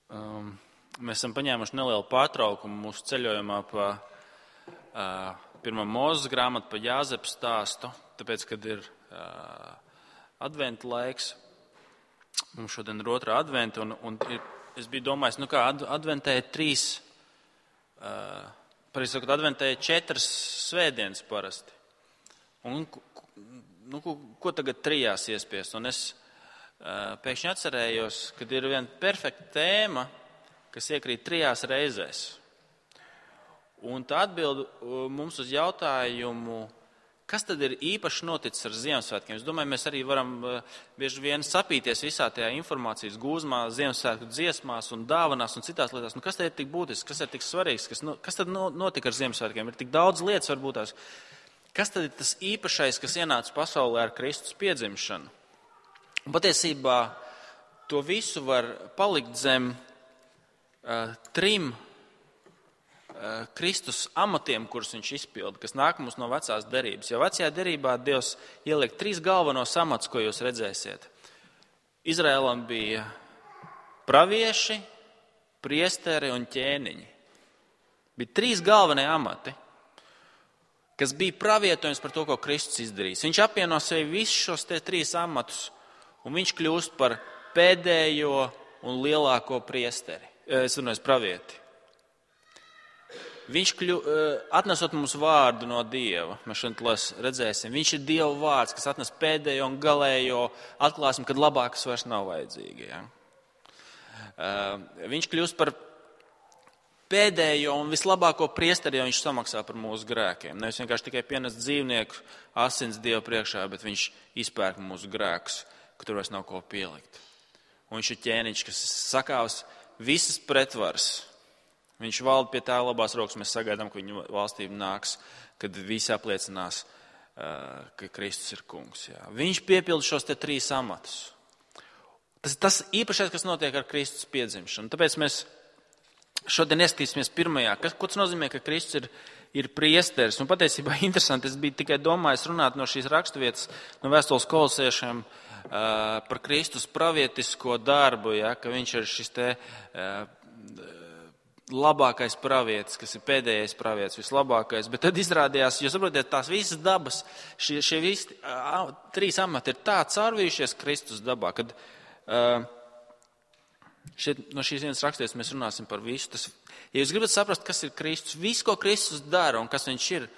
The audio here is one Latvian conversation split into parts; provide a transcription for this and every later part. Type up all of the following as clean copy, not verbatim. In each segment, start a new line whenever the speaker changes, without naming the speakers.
Mēs esam paņēmuši nelielu pārtraukumu mūsu ceļojumā pa pirmā Mūzes grāmatu, pa Jāzepa stāstu, tāpēc, kad ir adventa laiks. Mums šodien ir otrā adventa, un es biju domājis, adventē ir adventē ir 4 svētdienas parasti. Un, ko tagad 3 iespiest? Un es pēkšņi atcerējos, kad ir viena perfekta tēma, kas iekrīt 3 reizēs. Un tā atbild mums uz jautājumu, kas tad ir īpaši noticis ar Ziemassvētkiem? Es domāju, mēs arī varam bieži vien sapīties visā tajā informācijas gūzmā, Ziemassvētku dziesmās un dāvanās un citās lietās. Kas tad ir tik būtisks, kas ir tik svarīgs, kas tad notika ar Ziemassvētkiem? Ir tik daudz lietas varbūt tās. Kas tad ir tas īpašais, kas ienāca pasaulē ar Kristus piedzimšanu? Un patiesībā to visu var palikt zem 3 Kristus amatiem, kurus viņš izpilda, kas nāk mums no vecās derības. Jo vecajā derībā Dievs ieliek 3 galvenos amatus, ko jūs redzēsiet. Izraēlam bija pravieši, priesteri un ķēniņi. Bija 3 galvenie amati, kas bija pravietojums par to, ko Kristus izdarīs. Viņš apvieno sevi visus šos 3 amatus, un viņš kļūst par pēdējo un lielāko priesteri. Es runāju, pravieti. Viņš atnesot mums vārdu no Dieva, mēs šodien redzēsim, viņš ir Dieva vārds, kas atnes pēdējo un galējo, atklāsim, kad labākas vairs nav vajadzīgi. Ja? Viņš kļūst par pēdējo un vislabāko priesteri, jo viņš samaksā par mūsu grēkiem. Nevis vienkārši tikai pienes dzīvnieku asins Dieva priekšā, bet viņš izpērk mūsu grēkus, ka tur vairs nav ko pielikt. Un viņš ir ķēniņš, kas sakāvs visas pretvaras. Viņš valda pie tā labās rokas, mēs sagaidām, ka viņa valstība nāks, kad visi apliecinās, ka Kristus ir kungs. Jā. Viņš piepilda šos 3 amatus. Tas īpašais, kas notiek ar Kristus piedzimšanu. Tāpēc mēs šodien ieskatīsimies pirmajā. Ko tas nozīmē, ka Kristus ir priesteris? Un patiesībā interesanti, es biju tikai domājis runāt no šīs raksturvietas, no vēstules Kolosiešiem par Kristus pravietisko darbu, ja, ka viņš ir šis labākais pravietis, kas ir pēdējais pravietis, vislabākais. Bet tad izrādījās, jūs saprotiet, tās visas dabas, šie visi 3 amati ir tā caurvījušies Kristus dabā, kad no šīs vienas raksturvietas mēs runāsim par visu. Ja jūs gribat saprast, kas ir Kristus, viss, ko Kristus dara un kas viņš ir,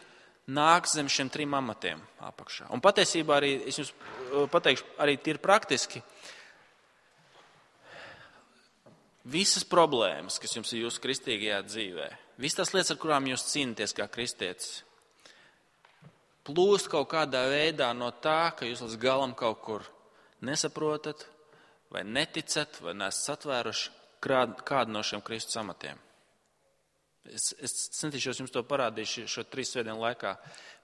nāk zem šiem 3 amatiem apakšā. Un patiesībā arī, es jums pateikšu, arī tīri praktiski, visas problēmas, kas jums ir jūsu kristīgajā dzīvē, visas tās lietas, ar kurām jūs cīnāties kā kristietis, plūst kaut kādā veidā no tā, ka jūs līdz galam kaut kur nesaprotat, vai neticat, vai neesat satvēruši kādu no šiem Kristus amatiem. Es centīšos jums to parādīt šo 3 svētdienu laikā.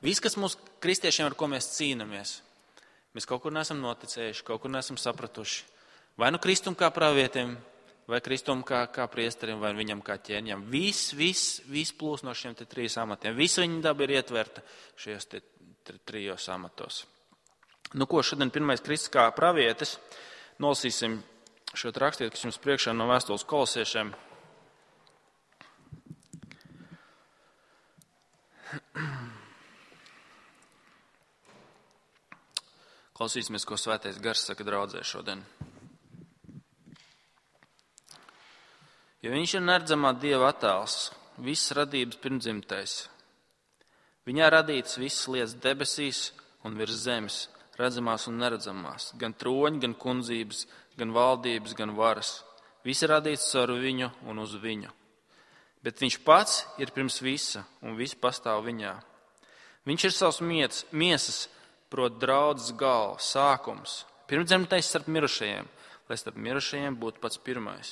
Viss, kas mūsu kristiešiem, ar ko mēs cīnamies, mēs kaut kur neesam noticējuši, kaut kur neesam sapratuši. Vai nu Kristum kā pravietim, vai Kristum kā priesterim, vai viņam kā ķēniņam. Viss plūs no šiem 3 amatiem. Visa viņa daba ir ietverta šajos 3 amatos. Ko šodien pirmais Kristus kā pravietis? Nolasīsim šo rakstietu, kas jums priekšā no vēstules Kolosiešiem. Klausīsimies, ko Svētais Gars saka draudzē šodien. Jo viņš ir neredzamā Dieva attēls, visas radības pirmdzimtais. Viņā radītas visas lietas debesīs un virs zemes, redzamās un neredzamās, gan troņi, gan kundzības, gan valdības, gan varas. Visi radīts caur viņu un uz viņu. Bet viņš pats ir pirms visa, un viss pastāv viņā. Viņš ir savs miesas, proti draudzes galva, sākums, pirmdzimtais starp mirušajiem, lai starp mirušajiem būtu pats pirmais.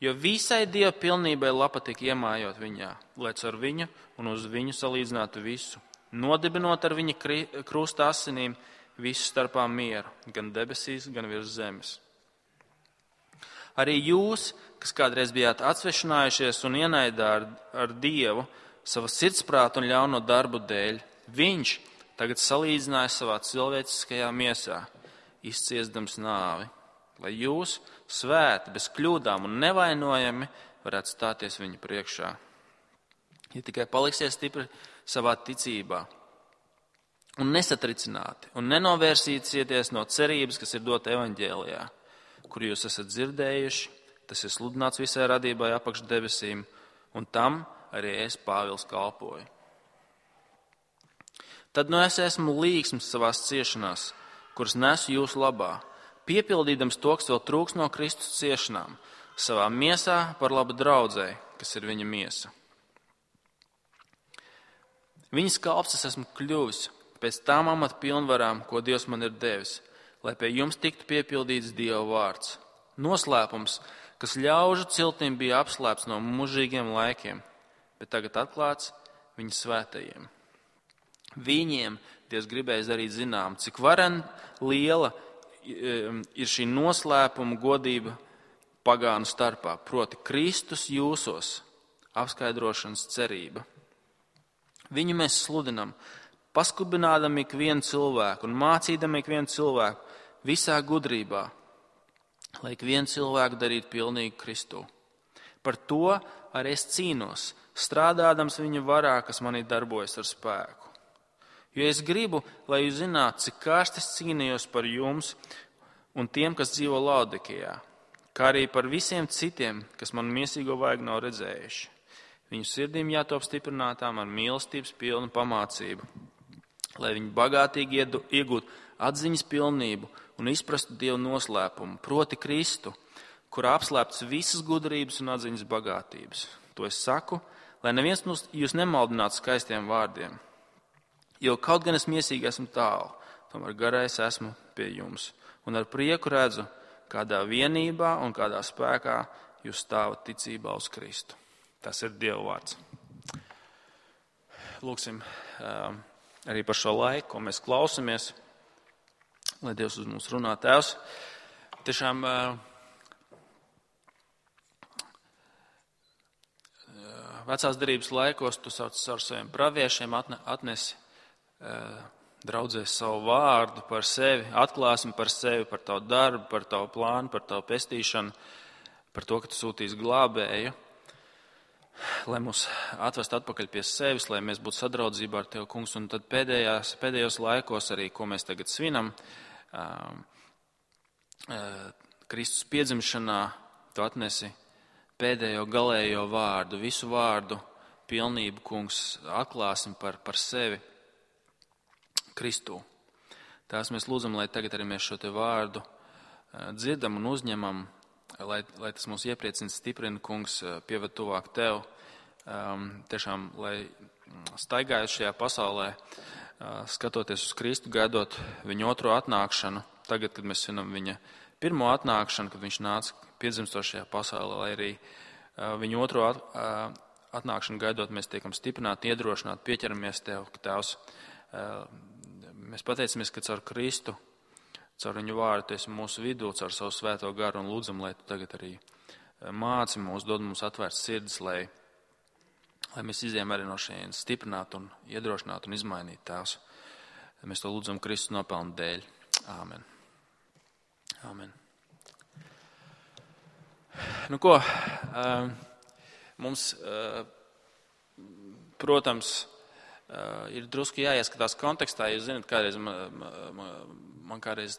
Jo visai Dieva pilnībai lapa tika iemājot viņā, lai caur viņu un uz viņu salīdzinātu visu, nodibinot ar viņa krusta asinīm visu starpā mieru, gan debesīs, gan virs zemes. Arī jūs, kas kādreiz bijāt atsvešinājušies un ienaidā ar Dievu sava sirdsprāta un ļauno darbu dēļ, viņš tagad salīdzināja savā cilvēciskajā miesā, izciesdams nāvi, lai jūs svēti, bez kļūdām un nevainojami varētu stāties viņa priekšā. Ja tikai paliksiet stipri savā ticībā un nesatricināti un nenovērsīsieties no cerības, kas ir dota evaņģēlijā, kur jūs esat dzirdējuši, tas ir sludināts visai radībai apakš debesīm, un tam arī es, Pāvils, kalpoju. Tad nu es esmu līgsms savās ciešanās, kuras nesu jūsu labā, piepildīdams to, kas vēl trūks no Kristus ciešanām, savā miesā par labu draudzei, kas ir viņa miesa. Viņas kalps es esmu kļuvis pēc tām amata pilnvarām, ko Dievs man ir devis, lai pie jums tiktu piepildīts Dieva vārds. Noslēpums, kas ļaužu ciltīm bija apslēpts no mūžīgiem laikiem, bet tagad atklāts viņa svētajiem. Viņiem Dievs gribēja darīt zinām, cik varen liela ir šī noslēpuma godība pagānu starpā, proti Kristus jūsos, apskaidrošanas cerība. Viņu mēs sludinam, paskubinādam ikvienu cilvēku un mācīdam ikvienu cilvēku visā gudrībā, lai ikvienu cilvēku darītu pilnīgu Kristu. Par to arī es cīnos, strādādams viņa varā, kas manī darbojas ar spēku. Jo es gribu, lai jūs zinātu, cik kārsti es cīnījos par jums un tiem, kas dzīvo Laodikejā, kā arī par visiem citiem, kas man miesīgo vaigu nav redzējuši. Viņu sirdīm jātop stiprinātām ar mīlestības pilnu pamācību, lai viņi bagātīgi iegūtu atziņas pilnību un izprastu Dievu noslēpumu, proti Kristu, kurā apslēpts visas gudrības un atziņas bagātības. To es saku, lai neviens jūs nemaldinātu skaistiem vārdiem. Jo kaut gan es miesīgi esmu tālu, tomēr garais esmu pie jums. Un ar prieku redzu, kādā vienībā un kādā spēkā jūs stāvat ticībā uz Kristu. Tas ir Dieva vārds. Lūksim arī par šo laiku, ko mēs klausamies, lai Dievs uz mums runā. Tēvs, tiešām vecās derības laikos tu sauc ar saviem praviešiem atnesi draudzēs savu vārdu par sevi, atklāsmi par sevi, par tavu darbu, par tavu plānu, par tavu pestīšanu, par to, ka tu sūtīsi glābēju, lai mūs atvestu atpakaļ pie sevis, lai mēs būtu sadraudzībā ar Tevi, Kungs. Un tad pēdējos laikos arī, ko mēs tagad svinam, Kristus piedzimšanā, tu atnesi pēdējo galējo vārdu, visu vārdu pilnību, Kungs, atklāsim par sevi Kristū. Tās mēs lūdzam, lai tagad arī mēs šo te vārdu dzirdam un uzņemam, lai tas mūs iepriecina, stiprina, Kungs, pieved tuvāk Tev. Tiešām, lai staigājot šajā pasaulē, skatoties uz Kristu, gaidot viņa otro atnākšanu, tagad, kad mēs svinam viņa pirmo atnākšanu, kad viņš nāca piedzimstošajā pasaulē, lai arī viņa otro atnākšanu gaidot, mēs tiekam stiprināti, iedrošināti, pieķeramies Tev, ka Tēvs, mēs pateicamies, ka caur Kristu, caur viņu vārdu, tu esi mūsu vidū, caur savu svēto garu un lūdzam, lai tu tagad arī māci mūs, dod mums atvērts sirds, lai mēs izējām arī no šejienes stiprināt un iedrošināt un izmainīt Tēvs. Mēs to lūdzam Kristus nopelnu dēļ. Āmen. Āmen. Nu ko, mums, protams, ir drusku jāieskatās kontekstā. Jūs zināt, kādreiz man kādreiz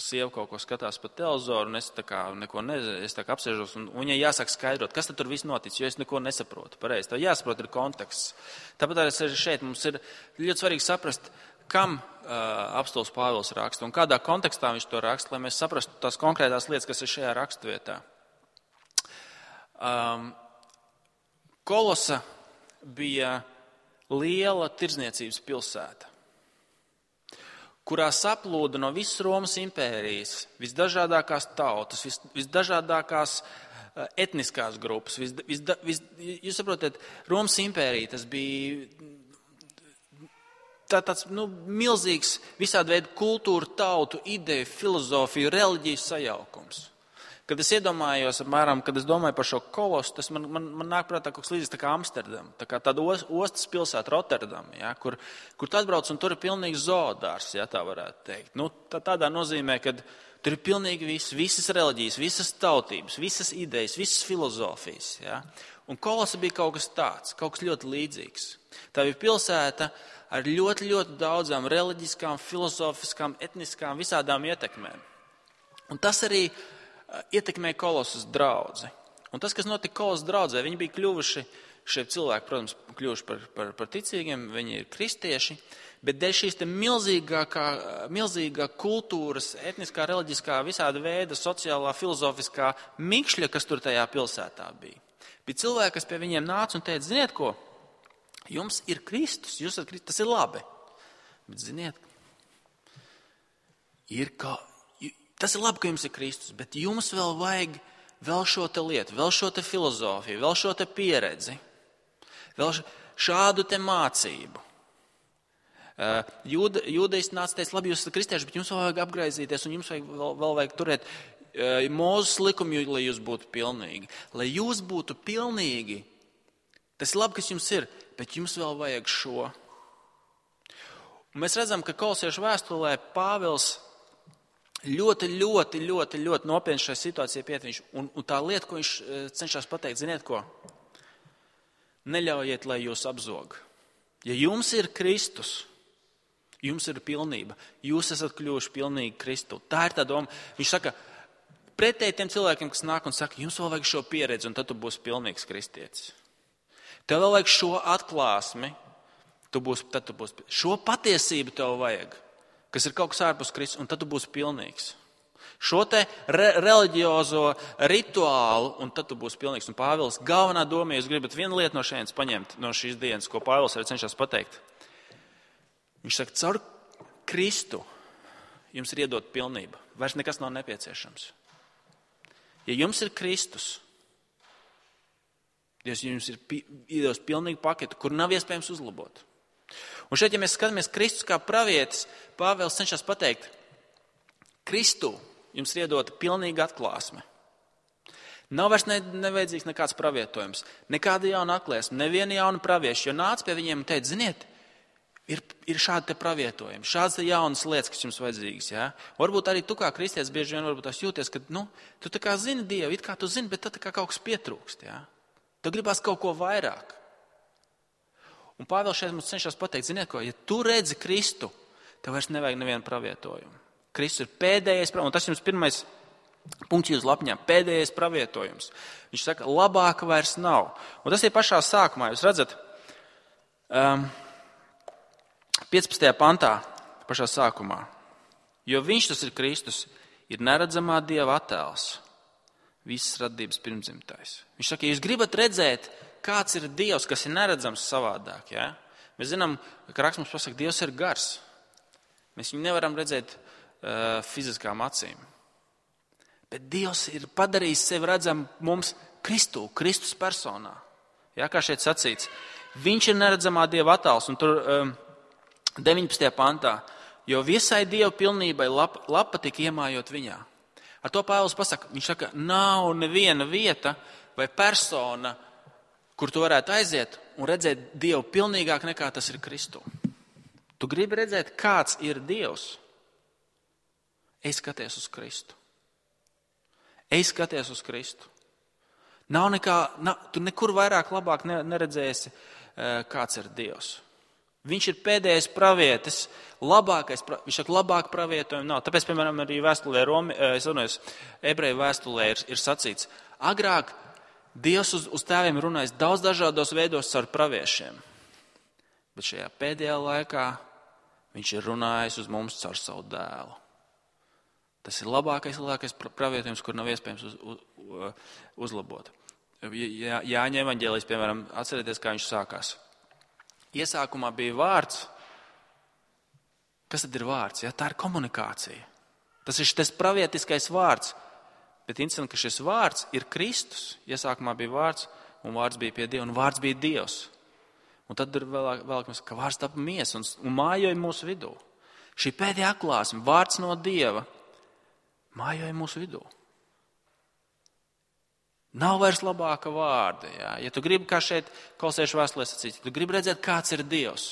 sieva kaut ko skatās pa televizoru, un es tā kā neko nezinu, es tā kā apsēžos, un viņai jāsāk skaidrot, kas tad tur viss notic, jo es neko nesaprotu. Pareizi, tev jāsaprot ir konteksts. Tāpat arī šeit mums ir ļoti svarīgi saprast, kam apostols Pāvils raksta un kādā kontekstā viņš to raksta, lai mēs saprastu tās konkrētās lietas, kas ir šajā rakstvietā. Kolosa bija liela tirdzniecības pilsēta, kurā saplūda no visas Romas impērijas visdažādākās tautas, visdažādākās etniskās grupas. Jūs saprotat, Romas impērija tas bija tāds milzīgs visādi veidu kultūru, tautu, ideju, filozofiju, reliģiju sajaukums. Kad es iedomājos, apmēram, kad es domāju par šo kolosu, tas man nāk prātā kaut kas līdzīgs tā kā Amsterdam, tā kā tāda ostas pilsēta Rotterdam, ja, kur tu atbrauc un tur ir pilnīgs zoodārs, ja tā varētu teikt. Tādā nozīmē, kad Tur ir pilnīgi viss, visas reliģijas, visas tautības, visas idejas, visas filozofijas. Ja? Un Kolosa bija kaut kas tāds, kaut kas ļoti līdzīgs. Tā bija pilsēta ar ļoti, ļoti daudzām reliģiskām, filozofiskām, etniskām, visādām ietekmēm. Un tas arī ietekmēja Kolosas draudzi. Un tas, kas notika Kolosas draudzē, viņi bija kļuvuši, šie cilvēki, protams, kļuvuši par ticīgiem, viņi ir kristieši, bet dēļ šīs te milzīgā kultūras, etniskā, reliģiskā, visāda veida, sociālā, filozofiskā mikšļa, kas tur tajā pilsētā bija. Bija cilvēki, kas pie viņiem nāca un teica, ziniet ko, jums ir Kristus, jūs esat Kristus, tas ir labi. Bet ziniet, tas ir labi, ka jums ir Kristus, bet jums vēl vajag vēl šo te lietu, vēl šo te filozofiju, vēl šo te pieredzi, vēl šādu te mācību. Jūdejs nāca teica, labi, jūs esat kristieši, bet jums vēl vajag apgraizīties un jums vēl vajag turēt Mūzes likumu, lai jūs būtu pilnīgi. Lai jūs būtu pilnīgi, tas ir labi, kas jums ir, bet jums vēl vajag šo. Un mēs redzam, ka Kolosiešu vēstulē Pāvils ļoti nopietni šai situācijai pietiek. Un tā lieta, ko viņš cenšas pateikt, ziniet ko? Neļaujiet, lai jūs apzog. Ja jums ir Kristus, jums ir pilnība. Jūs esat kļuvuši pilnīgi Kristu. Tā ir tā doma. Viņš saka, pretēji tiem cilvēkiem, kas nāk un saka, jums vēl vajag šo pieredzi, un tad tu būsi pilnīgs kristietis. Tev vēl vajag šo atklāsmi, tad tu būsi. Šo patiesību tev vajag, kas ir kaut kas ārpus Kristus, un tad tu būsi pilnīgs. Šo te reliģiozo rituālu, un tad tu būsi pilnīgs. Un Pāvils galvenā doma, ja jūs gribat vienu lietu no šeit paņemt, no šīs dienas, ko Pāvils arī cenšas pateikt. Viņš saka, caur Kristu jums ir iedot pilnība. Vairs nekas nav nepieciešams. Ja jums ir Kristus, Dievs jums ir iedos pilnīgu paketu, kur nav iespējams uzlabot. Un šeit, ja mēs skatāmies Kristus kā pravietis, Pāvils cenšas pateikt, Kristu jums ir iedota pilnīga atklāsme. Nav vairs nevajadzīgs nekāds pravietojums, nekāda jauna atklāsme, neviena jauna pravieša, jo nāca pie viņiem un teica, ziniet, ir šādi te pravietojumi, šādas te jaunas lietas, kas jums vajadzīgas. Ja? Varbūt arī tu kā kristietis bieži vien varbūt tās jūties, ka tu tā kā zini Dievu, it kā tu zini, bet tad tā kā kaut kas pietrūkst. Ja? Tu gribās kaut ko vairāk. Un Pāvils šeit mums cenšas pateikt, ziniet ko, ja tu redzi Kristu, tev vairs nevajag nevienu pravietojumu. Kristus ir pēdējais, un tas jums pirmais punkts jūs lapņā, pēdējais pravietojums. Viņš saka, labāka vairs nav. Un tas ir pašā sākumā, jūs redzat, 15. pantā, pašā sākumā. Jo viņš, tas ir Kristus, ir neredzamā Dieva attēls, visas radības pirmdzimtais. Viņš saka, ja jūs gribat redzēt, kāds ir Dievs, kas ir neredzams savādāk, ja? Mēs zinām, ka raksts mums pasaka, Dievs ir gars. Mēs viņu nevaram redzēt fiziskām acīm. Bet Dievs ir padarījis sevi redzam mums Kristus personā. Ja, kā šeit sacīts, viņš ir neredzamā Dieva attēls, un tur 19. pantā, jo visai Dieva pilnībai lapa tika iemājot viņā. Ar to Pāvils pasaka, viņš saka, nav neviena vieta vai persona, kur tu varētu aiziet un redzēt Dievu pilnīgāk nekā tas ir Kristu. Tu gribi redzēt, kāds ir Dievs? Ej skaties uz Kristu. Ej skaties uz Kristu. Tu nekur vairāk labāk neredzēsi, kāds ir Dievs. Viņš ir pēdējais pravietis, viņš saka, labāk pravietojumu nav. Tāpēc, piemēram, arī vēstulē, ebreju vēstulē ir sacīts, agrāk Dievs uz tēviem runājis daudz dažādos veidos caur praviešiem, bet šajā pēdējā laikā viņš ir runājis uz mums caur savu dēlu. Tas ir labākais pravietojums, kur nav iespējams uzlabot. Jāņa evaņģēlijs, piemēram, atcerieties, kā viņš sākās. Iesākumā bija vārds. Kas tad ir vārds? Ja? Tā ir komunikācija. Tas ir šis pravietiskais vārds. Bet interesanti, ka šis vārds ir Kristus. Iesākumā bija vārds, un vārds bija pie Dieva, un vārds bija Dievs. Un tad ir vēl ka vārds tapa miesa un mājoja mūsu vidū. Šī pēdējā atklāsme, vārds no Dieva, mājoja mūsu vidū. Nav vairs labāka vārda. Jā. Ja tu gribi, kā šeit Kolosiešu vēstulē sacīt, tu gribi redzēt, kāds ir Dievs,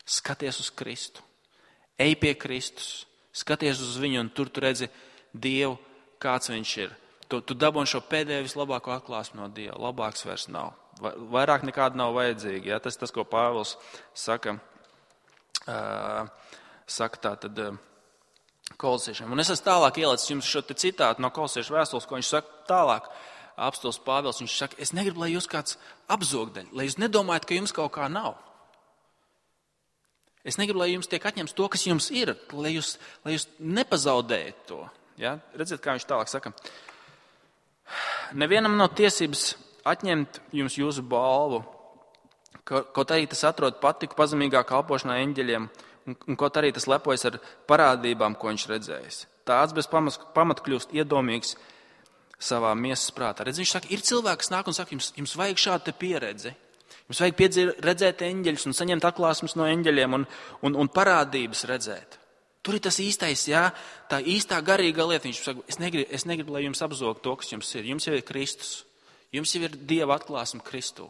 skaties uz Kristu. Ej pie Kristus, skaties uz viņu, un tur tu redzi Dievu, kāds viņš ir. Tu dabūni šo pēdējo vislabāko atklāsmi no Dieva. Labāks vairs nav. Vairāk nekāda nav vajadzīga. Ja? Tas, ko Pāvils saka tātad kolosiešiem. Un es esmu tālāk ielicis jums šo citātu no kolosiešu vēstules, ko viņš saka tālāk. Apostols Pāvils, viņš saka, es negribu, lai jūs kāds apzogdaļ, lai jūs nedomājat, ka jums kaut kā nav. Es negribu, lai jums tiek atņemts to, kas jums ir, lai jūs nepazaudējat to. Ja? Redziet, kā viņš tālāk saka. Nevienam nav tiesības atņemt jums jūsu balvu, kaut arī tas atrod patiku pazemīgā kalpošanā eņģeļiem, un kaut arī tas lepojas ar parādībām, ko viņš redzējis. Tāds bez pamata kļūst iedomīgs savā miesas prātā. Redz, viņš saka, ir cilvēki, kas nāk un saka, jums vajag šādu pieredzi. Jums vajag redzēt eņģeļus un saņemt atklāsmes no eņģeļiem un parādības redzēt. Tur ir tas īstais, jā, tā īstā garīga lieta. Viņš saka, es negribu, lai jums apzog to, kas jums ir. Jums jau ir Kristus. Jums jau ir Dieva atklāsme Kristū.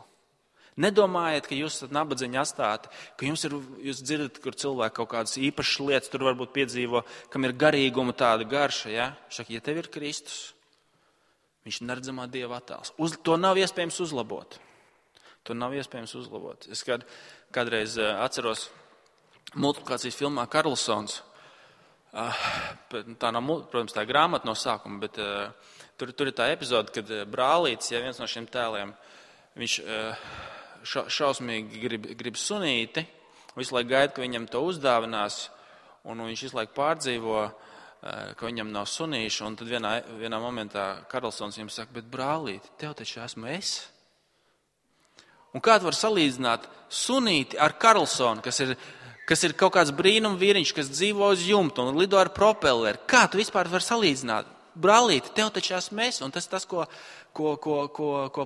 Nedomājiet, ka jūs esat nabadzīņi atstāti, ka jūs dzirdat, kur cilvēki kaut kādas īpašas lietas tur varbūt piedzīvo, kam ir garīguma tāda garša. Ja? Saka, ja tev ir Kristus, viņš ir neredzamā Dieva attēls. To nav iespējams uzlabot. Es kādreiz atceros multiplikācijas filmā Karlsons. Tā nav, protams, tā grāmata no sākuma, bet tur ir tā epizode, kad brālītis, ja viens no šiem tēliem, viņš šausmīgi grib sunīti, visu laiku gaida, ka viņam to uzdāvinās, un viņš visu laiku pārdzīvo, ka viņam nav sunīšu, un tad vienā momentā Karlsons viņam saka, bet brālīti, tev taču esmu es. Un kā tu var salīdzināt sunīti ar Karlsonu, kas ir kaut kāds brīnum vīriņš, kas dzīvo uz jumta un lido ar propelleri? Kā tu vispār var salīdzināt? Brālīti, tev taču esmu es, un tas ir tas, ko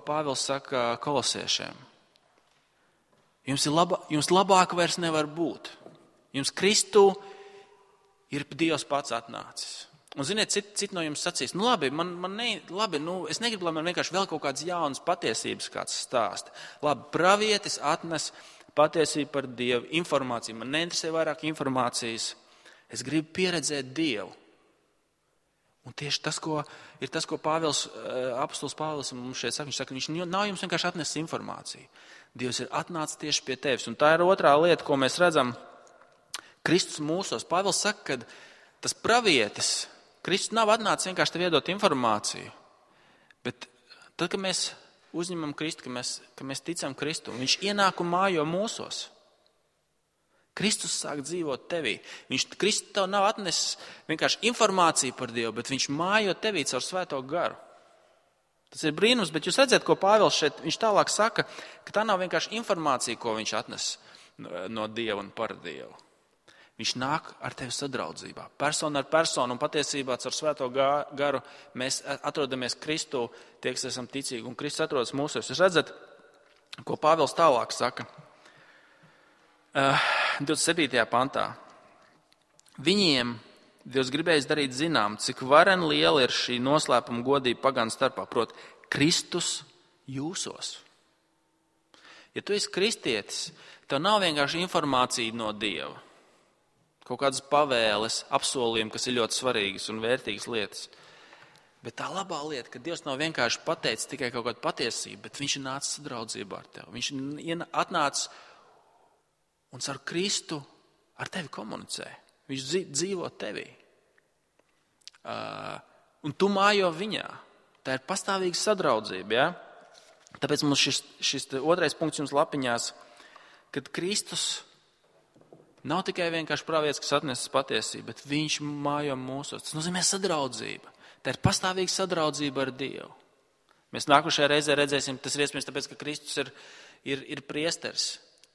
Pāvils saka kolosiešiem. Jums labāk vairs nevar būt. Jums Kristū ir Dievs pats atnācis. Un ziniet, citi no jums sacīs, es negribu, lai man vienkārši vēl kaut kādas jaunas patiesības kāds stāsta. Labi, pravietis atnes patiesību par Dievu, informāciju. Man neinteresē vairāk informācijas. Es gribu pieredzēt Dievu. Un tieši tas, ko apostols Pāvils mums šeit saka, viņš saka, viņš nav jums vienkārši atnesis informāciju. Dievs ir atnācis tieši pie tevis. Un tā ir otrā lieta, ko mēs redzam Kristus mūsos. Pāvils saka, ka tas pravietis, Kristus nav atnācis vienkārši tev iedot informāciju, bet tad, kad mēs uzņemam Kristu, ka mēs ticam Kristu, viņš ienāk un mājo mūsos. Kristus sāk dzīvot tevī. Kristus tev nav atnesis vienkārši informāciju par Dievu, bet viņš mājo tevī caur Svēto garu. Tas ir brīnums, bet jūs redzat, ko Pāvils šeit, viņš tālāk saka, ka tā nav vienkārši informācija, ko viņš atnes no Dieva un par Dievu. Viņš nāk ar tevi sadraudzībā. Persona ar personu un patiesībā caur Svēto garu mēs atrodamies Kristū, tie, kas esam ticīgi, un Kristus atrodas mūsos. Jūs redzat, ko Pāvils tālāk saka 27. pantā. Viņiem Dievs gribējis darīt zinām, cik varen liela ir šī noslēpuma godība pagānu starpā, proti Kristus jūsos. Ja tu esi kristietis, tev nav vienkārši informācija no Dieva. Kaut kādas pavēles, apsolījumi, kas ir ļoti svarīgas un vērtīgas lietas. Bet tā labā lieta, ka Dievs nav vienkārši pateicis tikai kaut kādu patiesību, bet viņš ir nācis sadraudzībā ar tevi. Viņš ir atnācis un ar Kristu ar tevi komunicē. Viņš dzīvo tevī. Un tu mājo viņā. Tā ir pastāvīga sadraudzība. Ja? Tāpēc mums šis otrais punkts jums lapiņās, kad Kristus nav tikai vienkārši pravietis, kas atnesis patiesību, bet viņš mājo mūsos. Tas nozīmē sadraudzība. Tā ir pastāvīga sadraudzība ar Dievu. Mēs nākošajā reizē redzēsim, tas ir iespējams tāpēc, ka Kristus ir priesteris.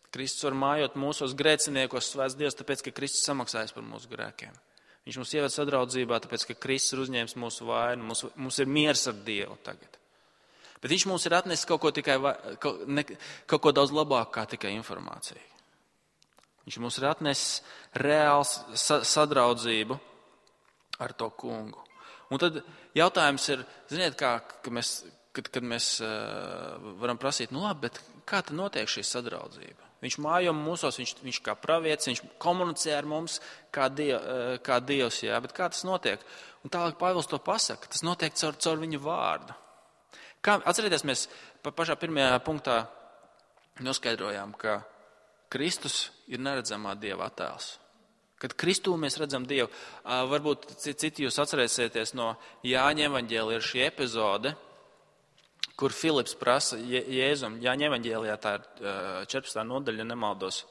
Kristus var mājot mūsos grēciniekos, svēts Dievs, tāpēc, ka Kristus samaksājas par mūsu grēkiem. Viņš mums ieved sadraudzībā, tāpēc, ka Kristus ir uzņēmis mūsu vainu. Mums ir miers ar Dievu tagad. Bet viņš mums ir atnesis kaut ko daudz labāk kā tikai informāciju. Viņš mums ir atnesis reāls sadraudzību ar to kungu. Un tad jautājums ir, ziniet, kad mēs varam prasīt, labi, bet kā tad notiek šī sadraudzība? Viņš mājo mūsos, viņš kā pravietis, viņš komunicē ar mums kā Dievs, jā, bet kā tas notiek? Un tālāk Pāvils to pasaka. Tas notiek caur viņa vārdu. Atcerieties, mēs pašā pirmajā punktā noskaidrojām, ka Kristus ir neredzamā Dieva attēls. Kad Kristū mēs redzam Dievu, varbūt citi jūs atcerēsieties no Jāņa evaņģēlija ir šī epizode, kur Filips prasa Jēzum, Jāņa evaņģēlijā tā ir 14. nodaļa, ja nemaldos,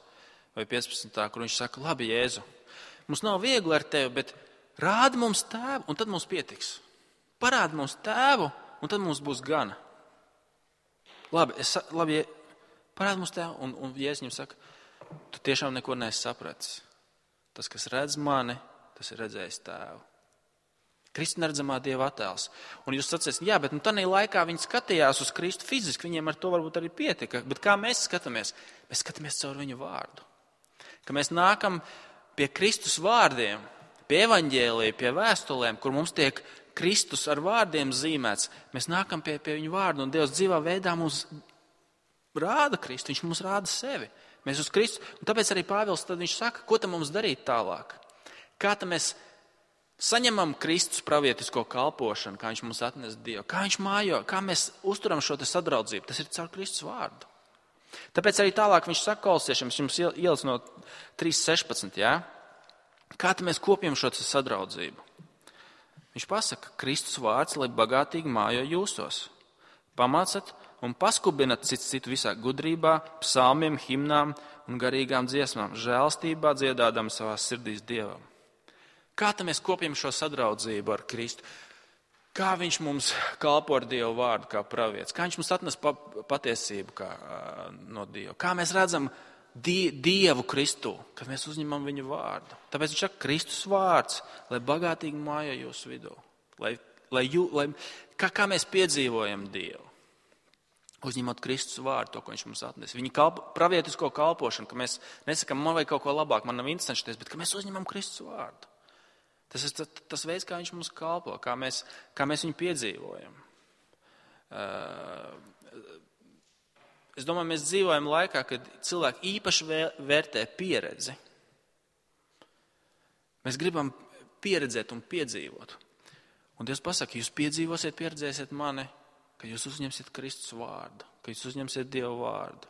vai 15. kur viņš saka, labi, Jēzu, mums nav viegli ar tevi, bet rādi mums tēvu, un tad mums pietiks. Parādi mums tēvu, un tad mums būs gana. Labi, parādi mums tēvu, un Jēzus viņam saka, tu tiešām neko neesi sapratis. Tas, kas redz mani, tas ir redzējis tēvu. Kristus neredzamā Dieva attēls. Un jūs sacīsiet, jā, bet tādā laikā viņi skatījās uz Kristu fiziski, viņiem ar to varbūt arī pietika. Bet kā mēs skatāmies? Mēs skatāmies caur viņu vārdu. Ka mēs nākam pie Kristus vārdiem, pie evaņģēlija, pie vēstulēm, kur mums tiek Kristus ar vārdiem zīmēts. Mēs nākam pie viņu vārdu, un Dievs dzīvā veidā mums rāda Kristu, viņš mums rāda sevi. Mēs uz Kristu, un tāpēc arī Pāvils tad viņš saka, ko tam mums darīt tālāk. Kā tam mēs saņemam Kristus pravietisko kalpošanu, kā viņš mums atnes Dievu, kā viņš mājo, kā mēs uzturam šo te sadraudzību. Tas ir caur Kristus vārdu. Tāpēc arī tālāk viņš saka kolosiešiem, jums ielic no 3.16, jā? Kā tam mēs kopjam šo te sadraudzību? Viņš pasaka, Kristus vārds, lai bagātīgi mājo jūsos. Pamācat un paskubinat citu visā gudrībā, psalmiem, himnām un garīgām dziesmām, žēlstībā dziedādam savās sirdīs Dievam. Kā tam mēs kopjam šo sadraudzību ar Kristu? Kā viņš mums kalpo ar Dievu vārdu kā pravietis? Kā viņš mums atnes patiesību no Dieva? Kā mēs redzam Dievu Kristu, kad mēs uzņemam viņu vārdu? Tāpēc viņš saka, Kristus vārds, lai bagātīgi mājo jūsu vidū. Kā mēs piedzīvojam Dievu? Uzņemot Kristus vārdu, to, ko viņš mums atnes. Viņa pravietisko kalpošanu, ka mēs nesakam, man vajag kaut ko labāk, man nav interesanties, bet ka mēs uzņemam Kristus vārdu. Tas ir tas veids, kā viņš mums kalpo, kā mēs viņu piedzīvojam. Es domāju, mēs dzīvojam laikā, kad cilvēki īpaši vērtē pieredzi. Mēs gribam pieredzēt un piedzīvot. Un Dievs pasaka, jūs piedzīvosiet, pieredzēsiet mani, ka jūs uzņemsiet Kristus vārdu, ka jūs uzņemsiet Dievu vārdu.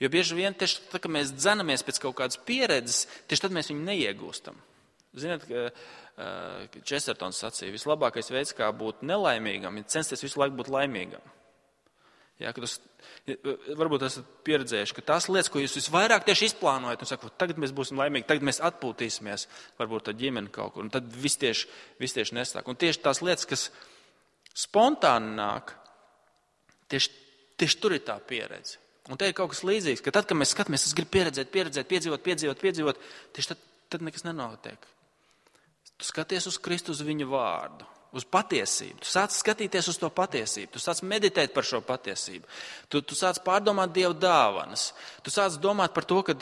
Jo bieži vien tieši tā, ka mēs dzenamies pēc kaut kādas pieredzes, tieši tad mēs viņu neiegūstam. Ziniet, ka Chestertons sacīja, vislabākais veids, kā būt nelaimīgam, ir censties visu laiku būt laimīgam. Jā, varbūt esat pieredzējuši, ka tās lietas, ko jūs visvairāk tieši izplānojat, un sakat, tagad mēs būsim laimīgi, tagad mēs atpūtīsimies, varbūt ar ģimeni kaut kur, un tad viss tieši nesāk. Un tieši tās lietas, kas spontāni nāk, tieši tur ir tā pieredze. Un te ir kaut kas līdzīgs, ka tad, kad mēs skatāmies, es gribu pieredzēt, piedzīvot, tieši tad nekas nenotiek. Tu skaties uz Kristu, uz viņu vārdu, uz patiesību. Tu sāc skatīties uz to patiesību, tu sāc meditēt par šo patiesību. Tu sāc pārdomāt Dieva dāvanas. Tu sāc domāt par to, ka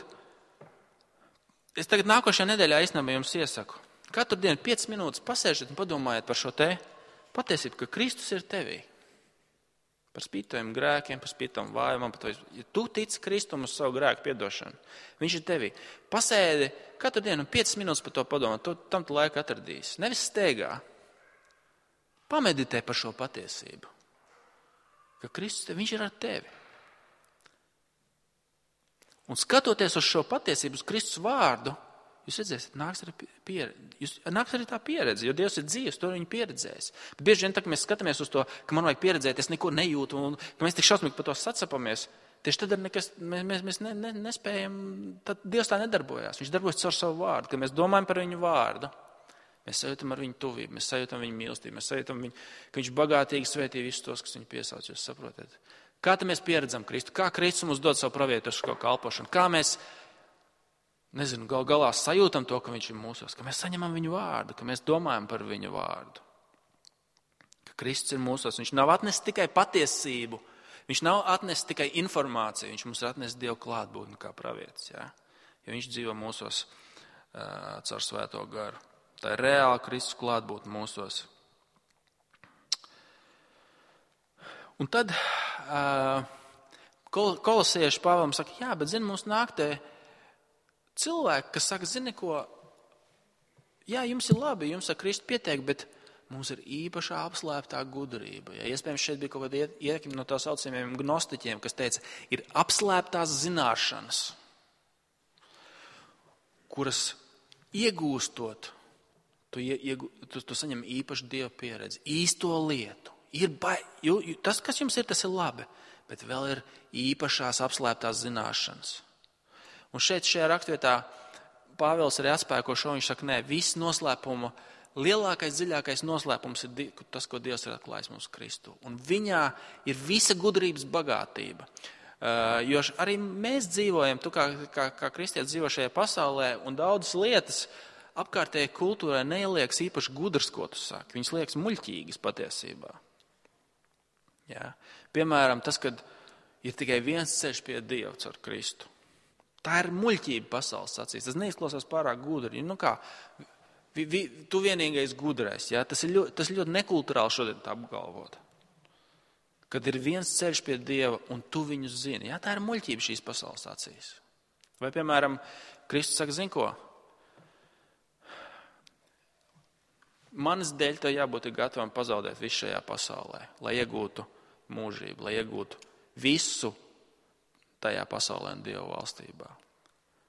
es tagad nākošajā nedēļā īstenībā jums iesaku. Katru dienu 5 minūtes pasēžiet un padomājiet par šo te patiesību, ka Kristus ir tevī. Par spītojiem grēkiem, par spītojiem vājumam. Ja tu tici Kristum uz savu grēku piedošanu, viņš ir tevī. Pasēdi katru dienu 5 minūtes par to padomāt, tam tu laiku atradīs. Nevis steigā. Pameditē par šo patiesību. Ka Kristus, viņš ir ar tevi. Un skatoties uz šo patiesību, uz Kristus vārdu, jūs redzēsiet, nāks arī tā pieredze, jo Dievs ir dzīvs, to viņi pieredzēs. Bet bieži vien, tā, ka mēs skatāmies uz to, ka man vajag pieredzēt, es neko nejūtu, un ka mēs tik šausmīgi par to sacapamies, tieši tad mēs nespējam, tad Dievs tā nedarbojās. Viņš darbojas caur savu vārdu, kad mēs domājam par viņu vārdu. Mēs sajūtam ar viņu tuvību, mēs sajūtam viņu mīlestību, mēs sajūtam viņu, ka viņš bagātīgi svētī visus tos, kas viņu piesauc, jūs saprotat. Kā tad mēs pieredzam Kristu? Kā Kristus mums dod savu pravietisko kalpošanu? Kā mēs gal galā sajūtam to, ka viņš ir mūsos, ka mēs saņemam viņu vārdu, ka mēs domājam par viņu vārdu. Ka Kristus ir mūsos, viņš nav atnesis tikai patiesību, viņš nav atnesis tikai informāciju, viņš mums ir atnesis Dievu klātbūtni kā pravietis, ja? Jo viņš dzīvo mūsos caur svēto garu. Tā ir reāla Kristus klātbūtne mūsos. Un tad kolosieši Pāvēlam saka, jā, bet zini, mums nāk te cilvēki, kas saka, zini ko, Jā, jums ir labi, jums ar Kristu pietiek, bet mums ir īpašā apslēptā gudrība. Ja, iespējams, šeit bija kaut kāda ietekme no tā saucamiem gnostiķiem, kas teica, ir apslēptās zināšanas, kuras iegūstot, tu saņem īpašu Dieva pieredzi, īsto lietu. Tas, kas jums ir, tas ir labi, bet vēl ir īpašās apslēptās zināšanas. Un šajā rakstvietā Pāvils arī atspēko šo, viņš saka, nē, viss noslēpuma, lielākais, dziļākais noslēpums ir tas, ko Dievs ir atklājis mums Kristu. Un viņā ir visa gudrības bagātība. Jo arī mēs dzīvojam, tu kā kristietis dzīvo šajā pasaulē, un daudzas lietas apkārtējai kultūrai neliekas īpaši gudrs, ko tu saki. Viņas liekas muļķīgas patiesībā. Jā. Piemēram, tas, kad ir tikai viens ceļš pie Dieva caur Kristu. Tā ir muļķība pasaules acīs. Tas neizklausās pārāk gudri. Tu vienīgais gudrais. Ja? Tas ļoti nekulturāli šodien tā apgalvot. Kad ir viens ceļš pie Dieva un tu viņus zini. Ja? Tā ir muļķība šīs pasaules acīs. Vai, piemēram, Kristus saka, zini ko? Manas dēļ tev jābūt gatavam pazaudēt visu šajā pasaulē, lai iegūtu mūžību, lai iegūtu visu tajā pasaulē un Dieva valstībā.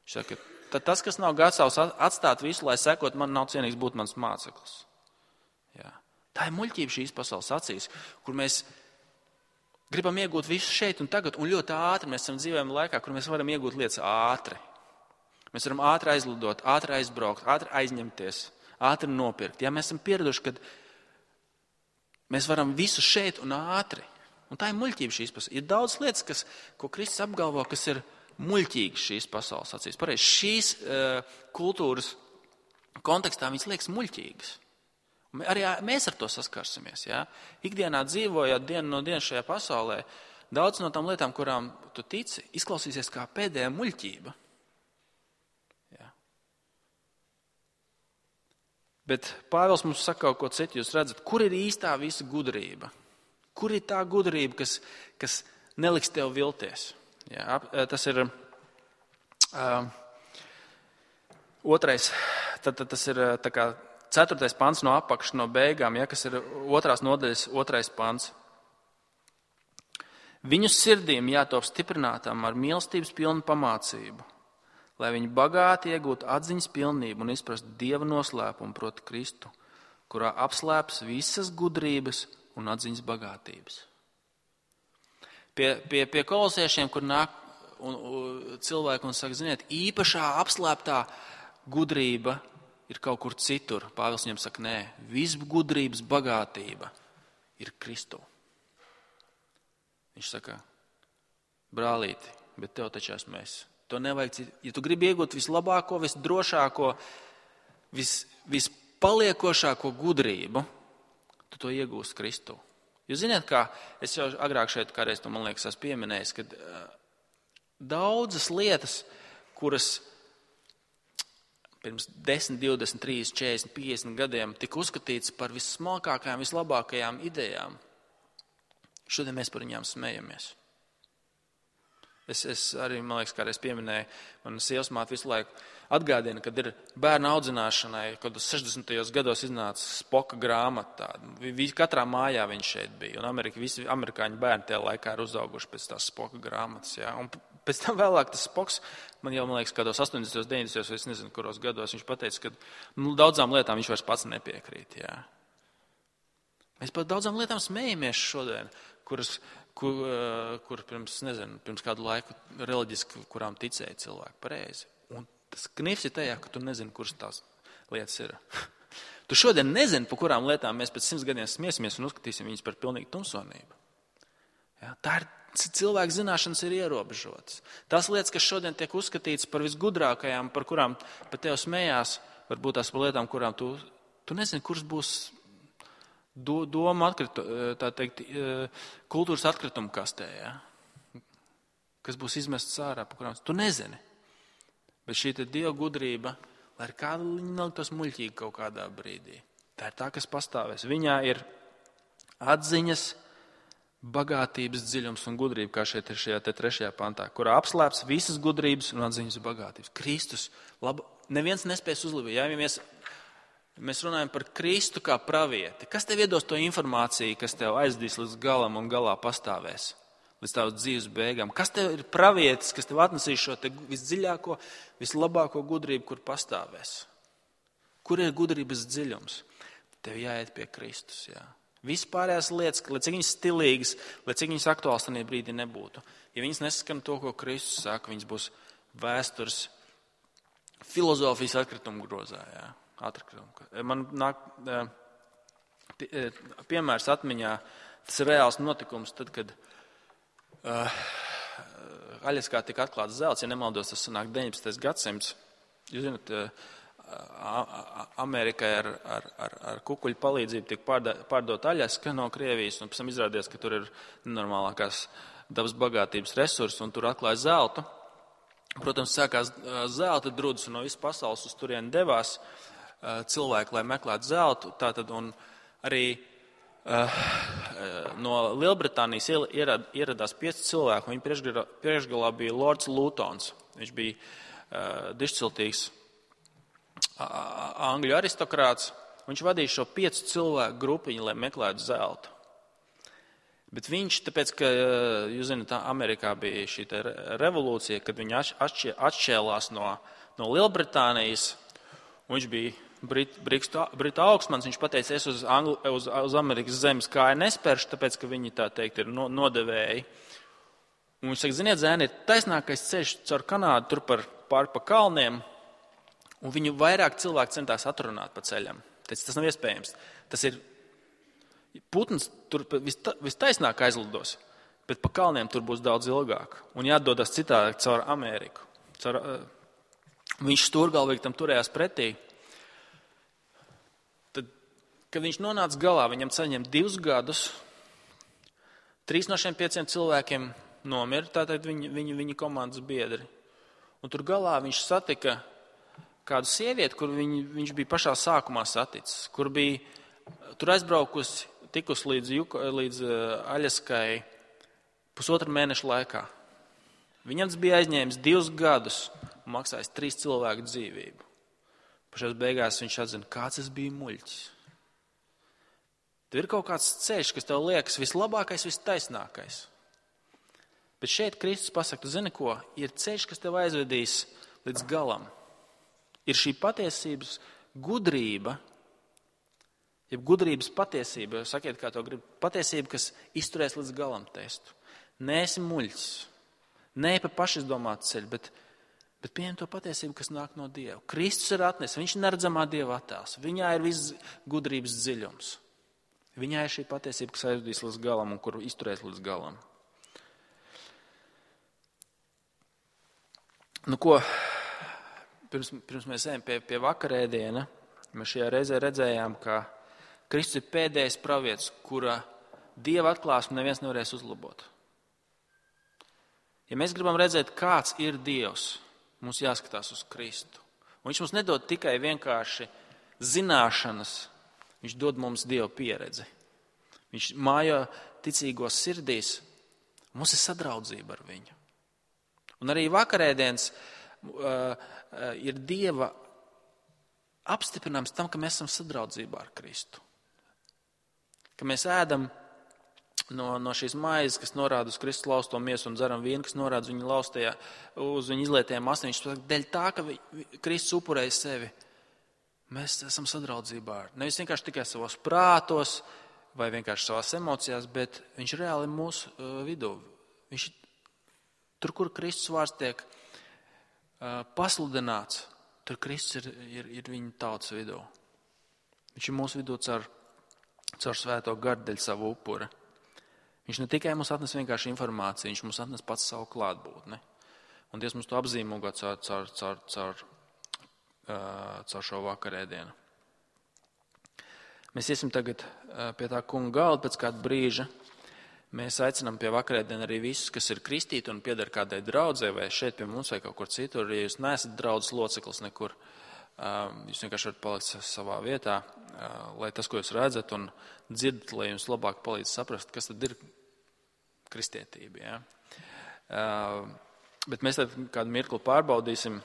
Viņš saka, tad tas, kas nav gatavs atstāt visu, lai sekot, man nav cienīgs būt mans māceklis. Jā. Tā ir muļķība šīs pasaules acīs, kur mēs gribam iegūt visu šeit un tagad, un ļoti ātri mēs esam dzīvojam laikā, kur mēs varam iegūt lietas ātri. Mēs varam ātri aizlidot, ātri aizbraukt, ātri aizņemties, ātri nopirkt. Ja mēs esam pieraduši, kad mēs varam visu šeit un ātri. Un tā ir muļķība šīs pasaules. Ir daudz lietas, ko Kristus apgalvo, kas ir muļķīgas šīs pasaules acīs. Pareizi, šīs kultūras kontekstā viņas liekas muļķīgas. Arī mēs ar to saskarsimies. Ja? Ikdienā dzīvojot dienu no dienas šajā pasaulē, daudz no tām lietām, kurām tu tici, izklausīsies kā pēdējā muļķība. Ja? Bet Pāvils mums saka kaut ko citu. Jūs redzat, kur ir īstā visa gudrība? Kur ir tā gudrība, kas neliks tev vilties? Jā, tas ir otrais, tas ir tā kā 4. pants no apakšas, no beigām, ja, kas ir 2. nodaļas 2. pants. Viņu sirdīm jātop stiprinātām ar mīlestības pilnu pamācību, lai viņi bagāti iegūtu atziņas pilnību un izprastu Dieva noslēpumu, proti Kristu, kurā apslēpts visas gudrības un atziņas bagātības. Pie kolosiešiem, kur nāk cilvēki un saka, ziniet, īpašā apslēptā gudrība ir kaut kur citur. Pāvils viņam saka, nē, viss gudrības bagātība ir Kristu. Viņš saka, brālīti, bet tev taču esmu es. To nevajag, ja tu gribi iegūt vislabāko, visdrošāko, vispaliekošāko gudrību, tu to iegūsi Kristu. Jūs zināt, kā es jau agrāk šeit kādreiz to, man liekas, esmu pieminējis, ka daudzas lietas, kuras pirms 10, 20, 30, 40, 50 gadiem tika uzskatītas par vissmalkākajām, vislabākajām idejām, šodien mēs par viņām smejamies. Es arī, man liekas, kādreiz pieminēju, man sievas māte visu laiku atgādina, kad ir bērnu audzināšanai, kad 60. gados iznāca Spoka grāmata. Katrā mājā viņš šeit bija, un visi amerikāņu bērni tajā laikā ir uzauguši pēc tās Spoka grāmatas. Ja? Un pēc tam vēlāk tas Spoks, man liekas, kādos 80. 90. vai es nezinu, kuros gados viņš pateica, ka daudzām lietām viņš vairs pats nepiekrīt. Ja? Mēs par daudzām lietām smējamies šodien, kur pirms kādu laiku reliģiski, kurām ticēja cilvēki pareizi. Un tas knifs ir tajā, ka tu nezini, kuras tās lietas ir. Tu šodien nezini, par kurām lietām mēs pēc 100 gadiem smiesimies un uzskatīsim viņas par pilnīgu tumsonību. Ja, tā ir cilvēku zināšanas ir ierobežotas. Tās lietas, kas šodien tiek uzskatītas par visgudrākajām, par kurām pat tev smējās, varbūt tās par lietām, kurām tu nezini, kuras būs doma kultūras atkrituma kastē, ja? Kas būs izmests ārā, par kurām tu nezini. Bet šī Dieva gudrība, lai ir kāda neliktos muļķīgi kaut kādā brīdī. Tā ir tā, kas pastāvēs. Viņā ir atziņas, bagātības dziļums un gudrība, kā šeit ir šajā 3. pantā, kurā apslēpts visas gudrības un atziņas bagātības. Kristus, neviens nespēs uzlabot. Ja mēs mēs runājam par Kristu kā pravieti. Kas tev iedos to informāciju, kas tev aizdīs līdz galam un galā pastāvēs? Līdz tavas dzīves beigām. Kas tev ir pravietis, kas tev atnesīs šo te visdziļāko, vislabāko gudrību, kur pastāvēs? Kur ir gudrības dziļums? Tev jāiet pie Kristus, jā. Vispārējās lietas, lai cik viņas stilīgas, lai cik viņas aktuāls tajā brīdī nebūtu. Ja viņas neskan to, ko Kristus saka, viņas būs vēstures filozofijas atkritumu grozā, jā. Man nāk piemērs atmiņā, tas ir reāls notikums, tad, kad Aļaskā tika atklāts zelts, ja nemaldos, tas sanāk 19. gadsimts. Jūs zināt, Amerikai ar kukuļu palīdzību tika pārdot Aļaska no Krievijas, un pēc tam izrādījās, ka tur ir nenormālākās dabas bagātības resursi, un tur atklāja zeltu. Protams, sākās zelta drudus, un no visas pasaules uz turieni devās cilvēki, lai meklētu zeltu. Tātad, un arī no Lielbritānijas ieradās 5 cilvēki, un viņa priekšgalā bija Lords Lutons. Viņš bija dišciltīgs angļu aristokrāts. Viņš vadīja šo 5 cilvēku grupiņu, lai meklētu zeltu. Bet viņš, tāpēc, ka, jūs zināt, Amerikā bija šī revolūcija, kad viņi atšķēlās no Lielbritānijas, un viņš bija Britu augstmans, viņš pateica, es uz Amerikas zemes kāju nespēršu, tāpēc, ka viņi, tā teikt, ir nodevēji. Un viņš saka, ziniet, zēni, ir taisnākais ceļš caur Kanādu, tur pāri pa kalniem, un viņu vairāk cilvēki centās atrunāt pa ceļam. Tas nav iespējams. Tas ir putns, tur vistaisnāk aizlidos, bet pa kalniem tur būs daudz ilgāk. Un jādodas citādi caur Ameriku. Viņš stūrgalvīgi tam turējās pretī. Kad viņš nonāca galā, viņam saņem 2 gadus, 3 no šiem 5 cilvēkiem nomira, tātad viņa komandas biedri. Un tur galā viņš satika kādu sievieti, kur viņš bija pašā sākumā saticis, kur bija tur aizbraukusi, tikus līdz Aļaskai 1,5 mēneša laikā. Viņam bija aizņēmis 2 gadus un maksājis 3 cilvēku dzīvību. Pašās beigās viņš atzina, kāds es biju muļķis. Tur ir kaut kāds ceļš, kas tev liekas vislabākais, vistaisnākais. Bet šeit Kristus pasaka, tu zini ko, ir ceļš, kas tev aizvedīs līdz galam. Ir šī patiesības gudrība, jeb gudrības patiesība, sakiet, kā to grib, patiesība, kas izturēs līdz galam testu. Neesi muļķis, ne pa pašizdomātu ceļu, bet pieņem to patiesību, kas nāk no Dieva. Kristus ir atnesis, viņš ir neredzamā Dieva attēls, viņā ir viss gudrības dziļums. Viņā ir šī patiesība, kas aizvedīs līdz galam un kuru izturēs līdz galam. Nu ko, pirms mēs ejam pie vakarēdiena, mēs šajā reizē redzējām, ka Kristus ir pēdējais pravietis, kura Dieva atklāsmu neviens nevarēs uzlabot. Ja mēs gribam redzēt, kāds ir Dievs, mums jāskatās uz Kristu. Un viņš mums nedod tikai vienkārši zināšanas, viņš dod mums Dieva pieredzi. Viņš mājo ticīgos sirdīs, mums ir sadraudzība ar viņu. Un arī vakarēdienas ir Dieva apstiprinājums tam, ka mēs esam sadraudzībā ar Kristu. Ka mēs ēdam no šīs maizes, kas norāda uz Kristus lausto miesu, un dzeram vīnu, kas norāda uz viņa izlietajām astīm. Viņš saka, dēļ tā, ka Kristus upurēja sevi, mēs esam sadraudzībā ar. Nevis vienkārši tikai savos prātos vai vienkārši savās emocijās, bet viņš reāli ir mūsu vidū. Viņš tur, kur Kristus vārds tiek pasludināts, tur Kristus ir viņa tautas vidū. Viņš ir mūsu vidū caur svēto garu dēļ savu upura. Viņš ne tikai mums atnes vienkārši informāciju, viņš mums atnes pats savu klātbūtni. Un Dievs mums to apzīmogo caur šo vakarēdienu. Mēs iesim tagad pie tā kunga galda pēc kāda brīža. Mēs aicinām pie vakarēdienu arī visus, kas ir kristīti un pieder kādai draudzē, vai šeit pie mums vai kaut kur citur. Ja jūs neesat draudzes loceklis nekur, jūs vienkārši varat palikt savā vietā, lai tas, ko jūs redzat un dzirdat, lai jums labāk palīdz saprast, kas tad ir kristietība. Ja? Bet mēs tad kādu mirkli pārbaudīsim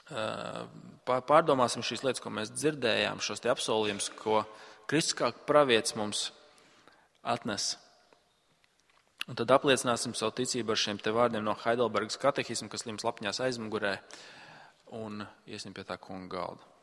Pārdomāsim šīs lietas, ko mēs dzirdējām, šos te apsolījumus, ko Kristus kā pravietis mums atnes. Un tad apliecināsim savu ticību ar šiem te vārdiem no Heidelbergas katehisma, kas jums lapņās aizmugurē, un iesim pie tā kunga galda.